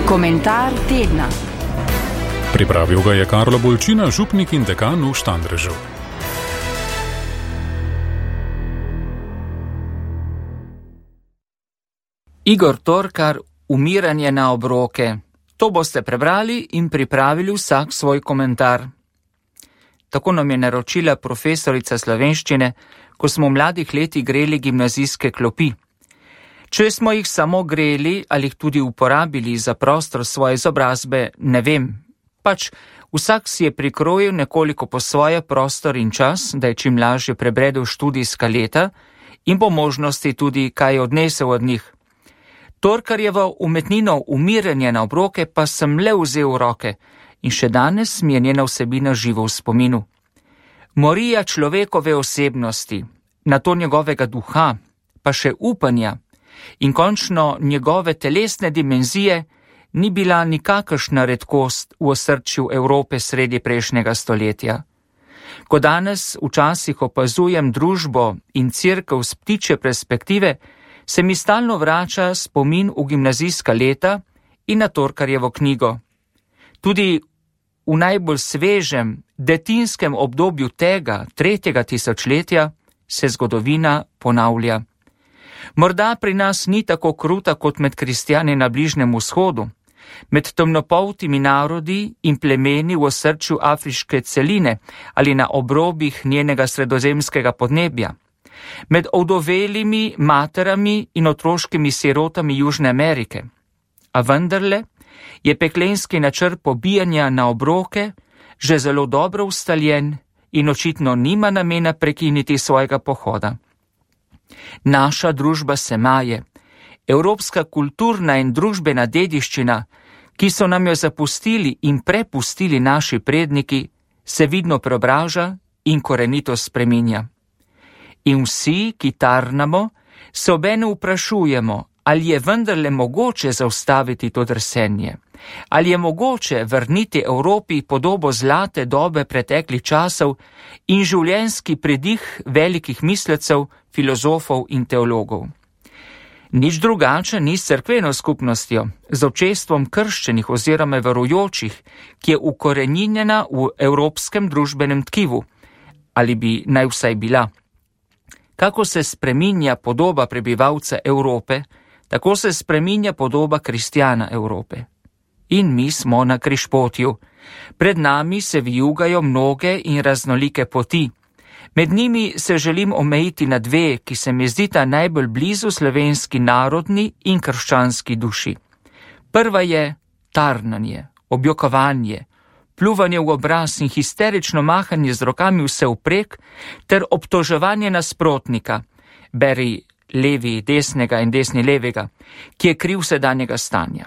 Komentar tedna. Pripravil ga je Karlo Bolčina, župnik in dekan v Štandrežu. Igor Torkar, Umiranje na obroke. To boste prebrali in pripravili vsak svoj komentar. Tako nam je naročila profesorica slovenščine, ko smo v mladih letih greli gimnazijske klopi. Če smo jih samo greli ali jih tudi uporabili za prostor svoje izobrazbe, ne vem. Pač vsak si je prikrojil nekoliko po svoje prostor in čas, da je čim lažje prebredel študijska leta in po možnosti tudi kaj odnesel od njih. Torkarjevo umetnino Umiranje na obroke pa sem le vzel v roke in še danes mi je njena vsebina živo v spominu. Morija človekove osebnosti, nato njegovega duha, pa še upanja in končno njegove telesne dimenzije ni bila nikakršna redkost v osrčju Evrope sredi prejšnjega stoletja. Ko danes včasih opazujem družbo in cerkev s ptičje perspektive, se mi stalno vrača spomin v gimnazijska leta in na Torkarjevo knjigo. Tudi v najbolj svežem, detinskem obdobju tega, 3. tisočletja, se zgodovina ponavlja. Morda pri nas ni tako kruta kot med kristjani na Bližnjem vzhodu, med temnopoltimi narodi in plemeni v osrčju afriške celine ali na obrobih njenega sredozemskega podnebja, med ovdovelimi materami in otroškimi sirotami Južne Amerike. A vendarle je peklenski načrt pobijanja na obroke že zelo dobro ustaljen in očitno nima namena prekiniti svojega pohoda. Naša družba se maje, evropska kulturna in družbena dediščina, ki so nam jo zapustili in prepustili naši predniki, se vidno preobraža in korenito spreminja. In vsi, ki tarnamo, se obenem vprašujemo, ali je vendarle mogoče zaustaviti to drsenje, ali je mogoče vrniti Evropi podobo zlate dobe preteklih časov in življenjski pridih velikih mislecev, filozofov in teologov. Nič drugače ni s cerkveno skupnostjo, z občestvom krščenih oziroma verujočih, ki je ukoreninjena v evropskem družbenem tkivu, ali bi naj vsaj bila. Kako se spreminja podoba prebivalca Evrope, tako se spreminja podoba kristjana Evrope. In mi smo na križpotju. Pred nami se vijugajo mnoge in raznolike poti. Med njimi se želim omejiti na dve, ki se mi zdita najbolj blizu slovenski narodni in krščanski duši. Prva je tarnanje, objokovanje, pljuvanje v obraz in histerično mahanje z rokami vsevprek ter obtoževanje nasprotnika, beri levi desnega in desni levega, ki je kriv sedanjega stanja.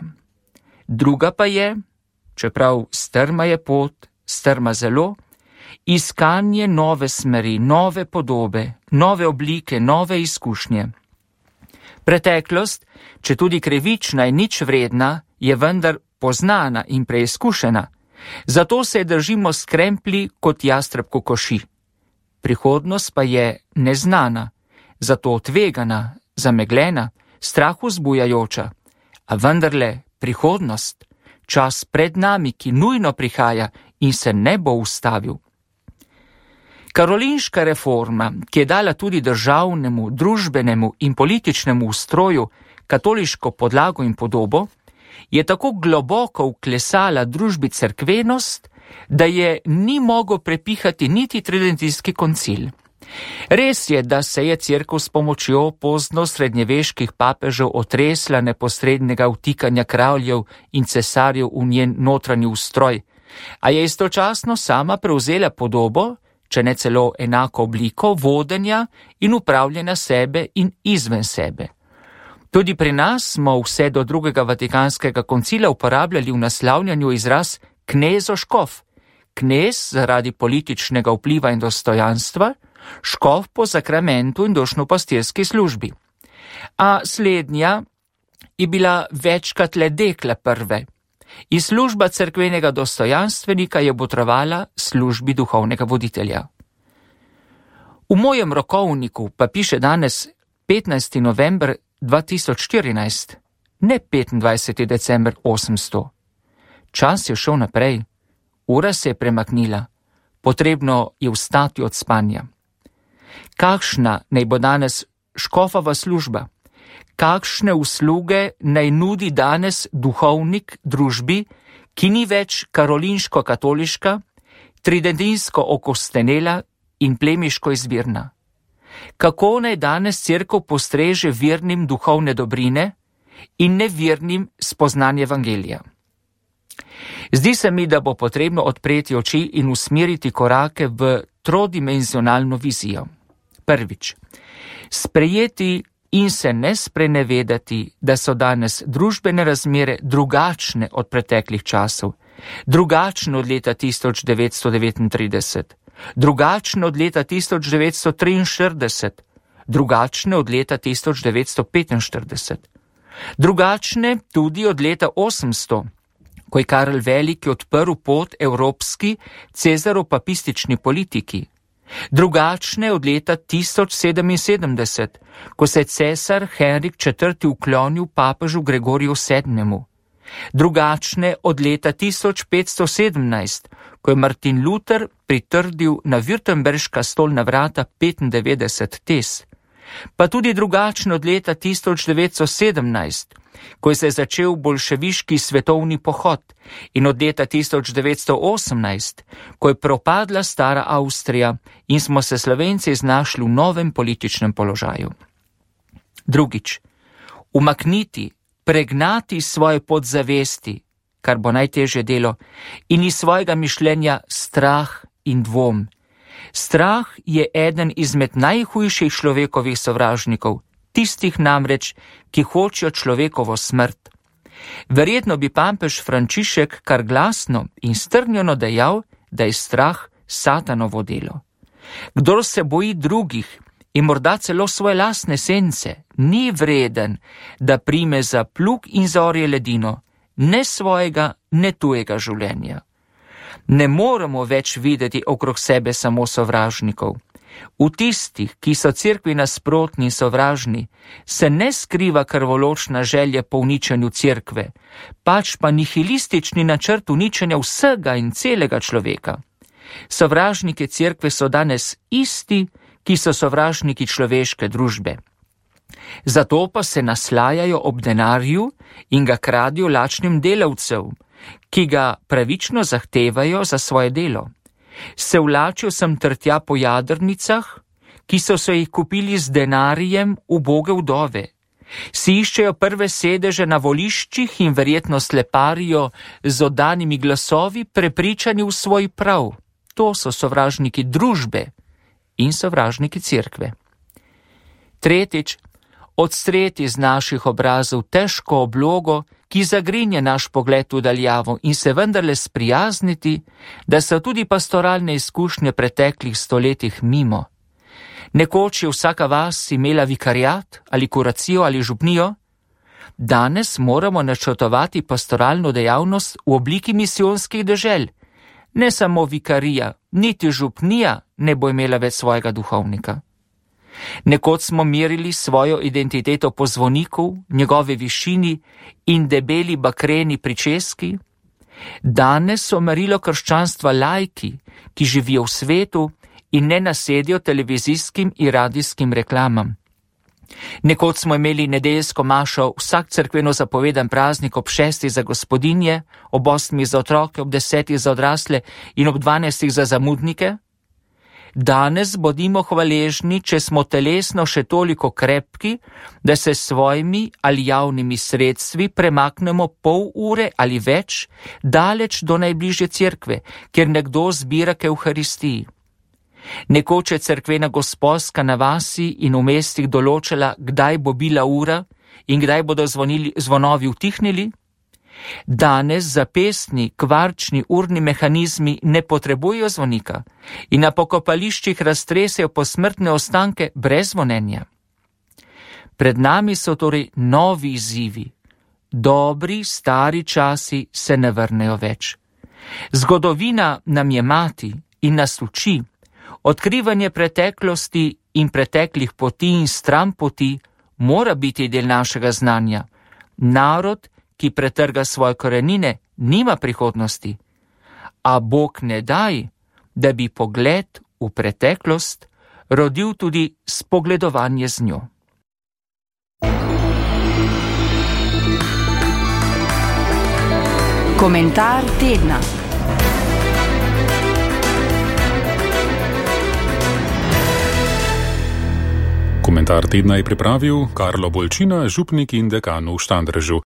Druga pa je, čeprav strma je pot, strma zelo, iskanje nove smeri, nove podobe, nove oblike, nove izkušnje. Preteklost, če tudi krivična in nič vredna, je vendar poznana in preizkušena, zato se držimo s kremplji kot jastreb kokoši. Prihodnost pa je neznana, zato tvegana, zameglena, strah vzbujajoča, a vendarle prihodnost, čas pred nami, ki nujno prihaja in se ne bo ustavil. Karolinška reforma, ki je dala tudi državnemu, družbenemu in političnemu ustroju katoliško podlago in podobo, je tako globoko vklesala družbi cerkvenost, da je ni mogel prepihati niti tridentijski koncil. Res je, da se je cerkev s pomočjo pozno srednjeveških papežev otresla neposrednega vtikanja kraljev in cesarjev v njen notranji ustroj, a je istočasno sama prevzela podobo, če ne celo enako obliko, vodenja in upravljanja sebe in izven sebe. Tudi pri nas smo vse do drugega Vatikanskega koncila uporabljali v naslavljanju izraz knezo-škof. Knez zaradi političnega vpliva in dostojanstva, škof po sakramentu in dušno-pastirski službi. A slednja je bila večkrat le dekla prve. In služba cerkvenega dostojanstvenika je botrovala službi duhovnega voditelja. V mojem rokovniku pa piše danes 15. november 2014. ne 25. december 800. Čas je šel naprej, ura se je premaknila, potrebno je vstati od spanja. Kakšna naj bo danes škofova služba? Kakšne usluge naj nudi danes duhovnik družbi, ki ni več karolinško-katoliška, tridentinsko okostenela in plemiško izvirna? Kako naj danes cerkev postreže vernim duhovne dobrine in nevernim spoznanje evangelija? Zdi se mi, da bo potrebno odpreti oči in usmeriti korake v trodimenzionalno vizijo. Prvič, sprejeti in se ne sprenevedati, da so danes družbene razmere drugačne od preteklih časov, drugačne od leta 1939, drugačne od leta 1943, drugačne od leta 1945, drugačne tudi od leta 800, ko je Karel Veliki odprl pot evropski cezaropapistični politiki, drugačne od leta 1077, ko se je cesar Henrik IV. Uklonil papežu Gregoriju VII., drugačne od leta 1517, ko je Martin Luther pritrdil na Württemberška stolna vrata 95 tez, pa tudi drugačne od leta 1917, ko se je začel bolševiški svetovni pohod, in od leta 1918, ko je propadla stara Avstrija in smo se Slovenci znašli v novem političnem položaju. Drugič, umakniti, pregnati svoje podzavesti, kar bo najtežje delo, in iz svojega mišljenja strah in dvom. Strah je eden izmed najhujših človekovih sovražnikov, tistih namreč, ki hočejo človekovo smrt. Verjetno bi papež Frančišek kar glasno in strnjeno dejal, da je strah satanovo delo. Kdor se boji drugih in morda celo svoje lastne sence, ni vreden, da prime za plug in za orje ledino, ne svojega, ne tujega življenja. Ne moremo več videti okrog sebe samo sovražnikov. V tistih, ki so cerkvi nasprotni in sovražni, se ne skriva krvoločna želja po uničenju cerkve, pač pa nihilistični načrt uničenja vsega in celega človeka. Sovražniki cerkve so danes isti, ki so sovražniki človeške družbe. Zato pa se naslajajo ob denarju in ga kradijo lačnim delavcev, ki ga pravično zahtevajo za svoje delo. Se vlačijo sem ter tja po jadrnicah, ki so se jih kupili z denarjem uboge vdove. Si iščejo prve sedeže na voliščih in verjetno sleparijo z oddanimi glasovi, prepričani v svoj prav. To so sovražniki družbe in sovražniki cerkve. Tretjič, odstreti z naših obrazov težko oblogo, ki zagrinja naš pogled v daljavo, in se vendarle sprijazniti, da so tudi pastoralne izkušnje preteklih stoletjih mimo. Nekoč je vsaka vas imela vikariat ali kuracijo ali župnijo. Danes moramo načrtovati pastoralno dejavnost v obliki misijonskih dežel. Ne samo vikarija, niti župnija ne bo imela več svojega duhovnika. Nekoč smo merili svojo identiteto po zvoniku, njegove višini in debeli bakreni pričeski. Danes so merilo krščanstva laiki, ki živijo v svetu in ne nasedijo televizijskim in radijskim reklamam. Nekoč smo imeli nedeljsko mašo vsak cerkveno zapovedan praznik ob 6. za gospodinje, ob 8. za otroke, ob 10. za odrasle in ob 12. za zamudnike. Danes bodimo hvaležni, če smo telesno še toliko krepki, da se s svojimi ali javnimi sredstvi premaknemo pol ure ali več daleč do najbližje cerkve, kjer nekdo zbira k Evharistiji. Nekoč je cerkvena gosposka na vasi in v mestih določila, kdaj bo bila ura in kdaj bodo zvonovi utihnili. Danes zapestni, kvarčni urni mehanizmi ne potrebujejo zvonika in na pokopališčih raztresejo posmrtne ostanke brez zvonjenja. Pred nami so torej novi izzivi. Dobri, stari časi se ne vrnejo več. Zgodovina nam je mati in nas uči. Odkrivanje preteklosti in preteklih poti in stran poti mora biti del našega znanja. Narod, ki pretrga svoje korenine, nima prihodnosti, a Bog ne daj, da bi pogled v preteklost rodil tudi spogledovanje z njo. Komentar tedna. Komentar tedna je pripravil Karlo Bolčina, župnik in dekan v Štandrežu.